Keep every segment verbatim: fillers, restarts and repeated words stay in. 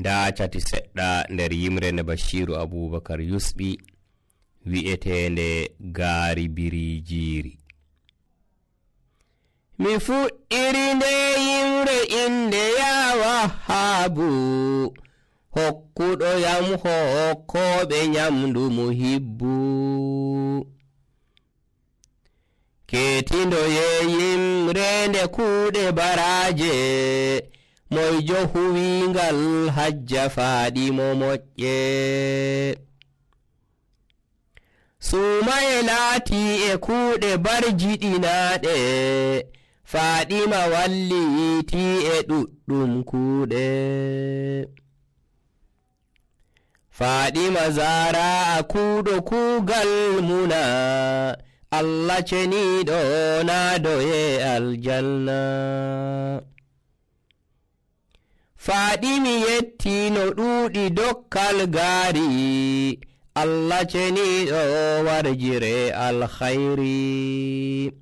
ndaacati seɗɗa nder yimre nde Bashiru Abubakar yusɓi wi'etende gaari biriijiri. Mi fuɗɗiri nde yimre inde ya Wahhabu, hokkuɗo yam hokkoɓe nyamdu muhibbu. Ketindo ye yimre nde kuuɗe baraje, moyjo huwingal hajja faaɗimo moƴƴe. Sumaye laati e kuuɗe barjiɗinaaɗe, Faaɗima walliti e ɗuɗɗum kuuɗe. Faaɗima Zara a kuuɗo kuugal muna, Allah ceniɗo naadoye aljanna. Faaɗimi yetti no ɗuuɗi dokkal gaari, Allah ceniɗo warjire alkhayri.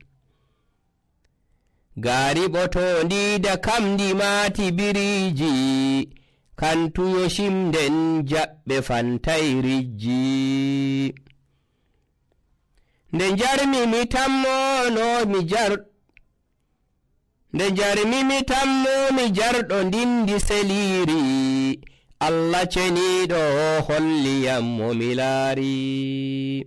Gaari ɓotondi da kamdi maati biriiji, kantuyo shimden jaɓɓe fantay rijji. Nde jarmi mi tammono mi jar Nde jarmi mi tammo mi jarɗo ndindi seliri, Allah ceniɗo holliyam mo mi laari.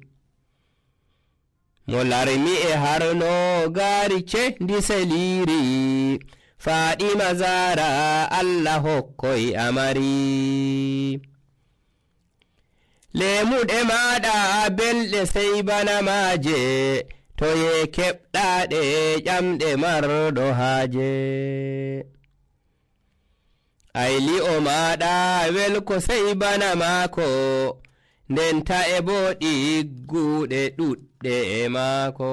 Mo larmi e harno gaari cendi seliri, Faaɗima Zara Allah hokkoy amari. Lemuɗe maɗa belɗe sey bana maaje, toye keɓɗaɗe ƴamɗe marɗo haaje. Ayli o maɗa welko sey bana maako, ndenta e bo ɗigguɗe ɗuɗɗe e maako.